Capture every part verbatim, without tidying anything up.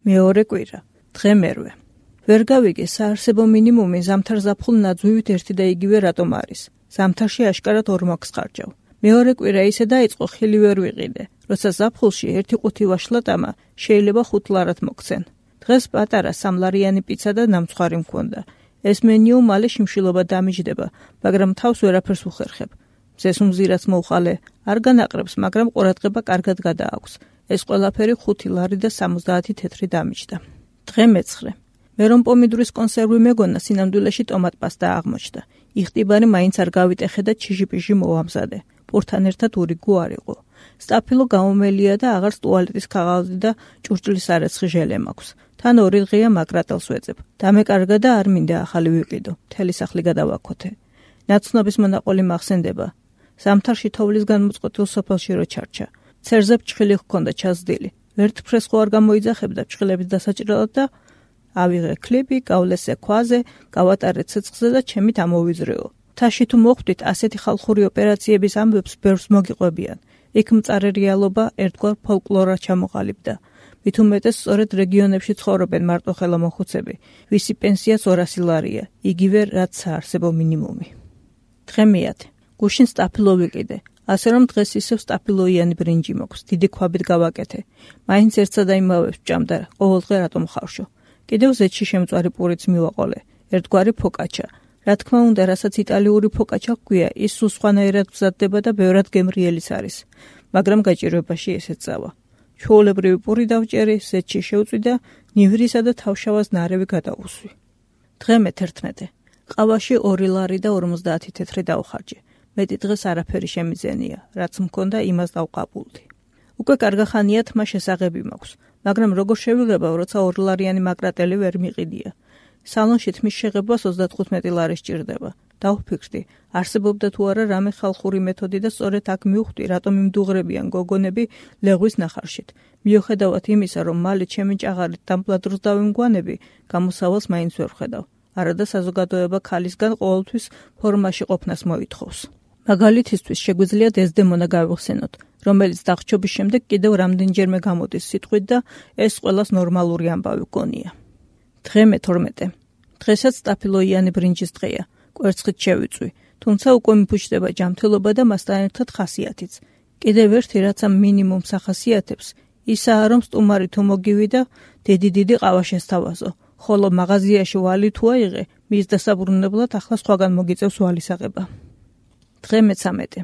მეორე კვირა, დღე მერვე. ვერ გავიგე საარსებო მინიმუმი ზამთარ ზაფხულ ნაძვივით ერთი და იგივე რატომ არის. ზამთარში აშკარად ორმაგს ხარჯავ. მეორე კვირა ისე დაიწყო ხილი ვერ ვიყიდე, როცა ზაფხულში ერთი ყუთი ვაშლატამა შეიძლება ხუთ ლარად მოგცენ. დღეს პატარა სამლარიანი პიცა და ნამცხვარი მქონდა. ეს მენიუ მალე შიმშილობა დამიჯდება, მაგრამ თავს ვერაფერს უხერხებ. მზეს უმზირაც მოვხალე, არ განაყრებს, მაგრამ ყურადღება კარგად გადააქვს. ეს ყველაფერი ხუთი ლარი და სამოცდაათი თეთრი დამიჯდა. დღე მეცხრე. მე რომ პომიდურის კონსერვი მეგონა, სინამდვილეში ტომატ-პასტა აღმოჩნდა. იხტიბარი მაინც არ გავიტეხე და ჩიჟი-პიჟი მოვამზადე. პურთან ერთად ურიგო არ იყო. სტაფილო გამომელია და აღარც ტუალეტის ქაღალდი და ჭურჭლის არეცხი ჟელე მაქვს. თან ორი დღეა მაგრატელს ვეძებ. დამეკარგა და არ მინდა ახალი ვიყიდო. მთელი სახლი გადავაქოთე. ნაცნობის მონაყოლი მახსენდება. ზამთარში თოვლისგან მოწყობილ სოფელში რო ჩარჩა. ცერზე ფჭხილი ჰქონდა ჩაზდილი. ვერტფრეს ხო არ გამოიძახებდა ფჭხილების დასაჭრელად და ავიღე ქლიბი, გავლესე ქვაზე, გავატარე ცეცხლზე და ჩემით ამოვიზრეო. თაში თუ მოხვდით, ასეთი ხალხური ოპერაციების ამბებს ბევრს მოგიყვებიან. იქ მწარე რეალობა ერთგვარ ფოლკლორად ჩამოყალიბდა. მით უმეტეს სწორედ რეგიონებში ცხოვრობენ მარტოხელა მოხუცები, ვისი პენსიაც ორასი ლარია, იგივე რაც საარსებო მინიმუმი. დღე მეათე. გუშინ სტაფილო ვიყიდე. ასე რომ დღეს ისევ სტაფილოიანი ბრინჯი მოქვს, დიდი ქვაბით გავაკეთე. მაინც ერთსა და იმავებს ვჭამდა, ყოველდღე რატომ ხავშო. კიდევ ზეთში შემწვარი პურიც მივაყოლე, ერთგვარი ფოკაჩა. რა თქმა უნდა, რასაც იტალიური ფოკაჩა ჰქვია, ის სულ სხვანაირად მზადდება და ბევრად გემრიელიც არის, მაგრამ გაჭირვებაში ესეც წავა. ჩვეულებრივი პური დავჭერი, ზეთში შევწვი და ნივრისა და თავშავას ნარევი გადაუსვი. დღე მეთერთმეტე. ყავაში ორი ლარი და ორმოცდაათი თეთრი დავხარჯე. მეტი დღეს არაფერი შემიძენია, რაც მქონდა იმას დავყაბულდი. უკვე კარგახანია თმა შესაღები მაქვს, მაგრამ როგორ შევიღებავ, როცა ორი ლარიანი მაგრატელი ვერ მიყიდია. სალონში თმის შეღებას ოცდათხუთმეტი ლარი სჭირდება. დავფიქრდი, არსებობდა თუ არა რამე ხალხური მეთოდი და სწორედ აქ მივხვდი, რატომ იმდუღრებიან გოგონები ლეღვის ნახარშით. მიუხედავად იმისა, რომ მალე ჩემი ჭაღარით დამბლადროს დავიმგვანები, გამოსავალს მაინც ვერ ვხედავ. არადა საზოგადოება ქალისგან ყოველთვის ფორმაში ყოფნას მოითხოვს. მაგალითისთვის შეგვიძლია დეზდემონა გავიხსენოთ, რომელიც დახჩობის შემდეგ კიდევ რამდენჯერმე გამოდის სიტყვით და ეს ყველას ნორმალური ამბავი გონია. დღე მეთორმეტე. დღესაც სტაფილოიანი ბრინჯის დღეა. კვერცხით შევიწვი, თუმცა უკვე მიფუჭდება ჯანმრთელობა და მასთან ერთად ხასიათიც. კიდევ ერთი რაც ამ მინიმუმს ახასიათებს, ისაა რომ სტუმარი თუ მოგივიდა, დიდი-დიდი ყავა შესთავაზო, ხოლო მაღაზიაში ვალი თუ აიღე, მის დასაბრუნებლად ახლა სხვაგან მოგიწევს ვალის აღება. დღე მეცამეტე.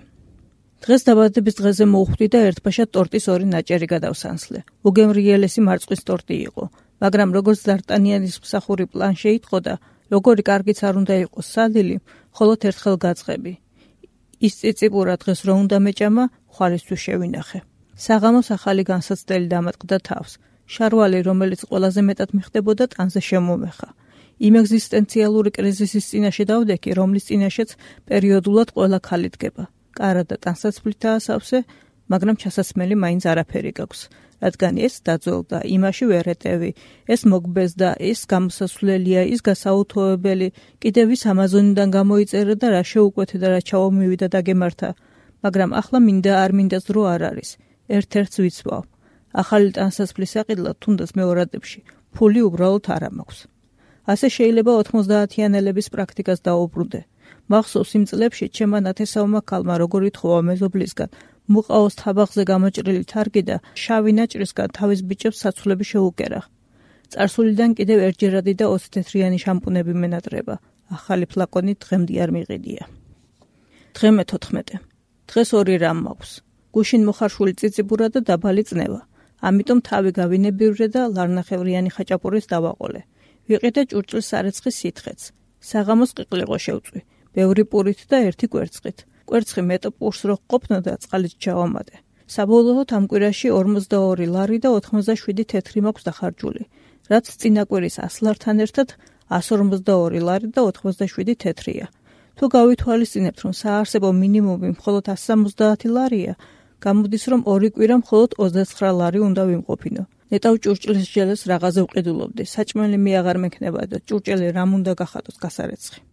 დღეს დაბადების დღეზე მოვხვდი და ერთბაშად ტორტის ორი ნაჭერი გადავსანსლე. უგემრიელესი მარწყვის ტორტი იყო, მაგრამ როგორც დარტანიანის მსახური პლან შეიტყოდა, როგორი კარგიც არ უნდა იყოს სადილი, მხოლოდ ერთხელ გაწყები. ის წიწიპურა დღეს რო უნდა მეჭამა, ხვალისთვის შევინახე. საღამოს ახალი განსაცდელი დამატყდა თავს. შარვალი, რომელიც ყველაზე მეტად მიხდებოდა, ტანზე შემომეხა. იმ ეგზისტენციალური კრიზისის წინაშე დავდექი, რომლის წინაშეც პერიოდულად ყველა ქალი დგება. კარა და ტანსაცმლითაა სავსე, მაგრამ ჩასასმელი მაინც არაფერი გაქვს. რადგან ეს დაძველდა, იმაში ვერ ეტევი, ეს მოგბეზდა, ეს გამოსასვლელია, ის გასაუთოებელი, კიდევ ის ამაზონიდან გამოიწერა და რა შეუკვეთე და რა ჩაომივიდა და გემართა, მაგრამ ახლა მინდა არ მინდაც დრო არ არის. ერთ-ერთს ვიცვავ. ახალი ტანსაცმლის საყიდლად თუნდაც მეორადებში, ფული უბრალოდ არ მაქვს. ასე შეიძლება ოთხმოცდაათიანელების პრაქტიკას დაუბრუნდე. მახსოვს იმ წლებში ჩემმა ნათესავმა ქალმა როგორ ითხოვა მეზობლისგან, მუყაოს თაბახზე გამოჭრილი თარგი და შავი ნაჭრისგან თავის ბიჭებს საცვლები შეუკერა. წარსულიდან კიდევ ერთჯერადი და ოცთეთრიანი შამპუნები მენატრება. ახალი ფლაკონი დღემდე არ მიყიდია. დღე მეთოთხმეტე. დღეს ორი რამ მაქვს. გუშინ მოხარშული წიწიბურა და დაბალი წნევა. ამიტომ თავი გავინებივრე და ლარნახევრიანი ხაჭაპურის დავაყოლე. ვიყიდე ჭურჭლის სარეცხის სითხეც. საღამოს ყიყლიყო შევწვი. ბევრი პურით და ერთი კვერცხით. კვერცხი მეტ პურს რო ყოფნოდა წყალით ჩავამატე. საბოლოოდ ამ კვირაში ორმოცდაორი ლარი და ოთხმოცდაშვიდი თეთრი მაქვს დახარჯული, რაც წინა კვირის ას ლართან ერთად ას ორმოცდაორი ლარი და ოთხმოცდაშვიდი თეთრია. თუ გავითვალისწინებთ, რომ საარსებო მინიმუმი მხოლოდ ას სამოცდაათი ლარია, გამოდის, რომ ორი კვირა მხოლოდ ოცდაცხრა ლარი უნდა ვიმყოფინო. ნეტავ ჭურჭლის ჟელეს რაღაცა ვყიდულობდი, საჭმელი მე აღარ მექნება და ჭურჭელი რამ უნდა გახადოს გასარეცხი.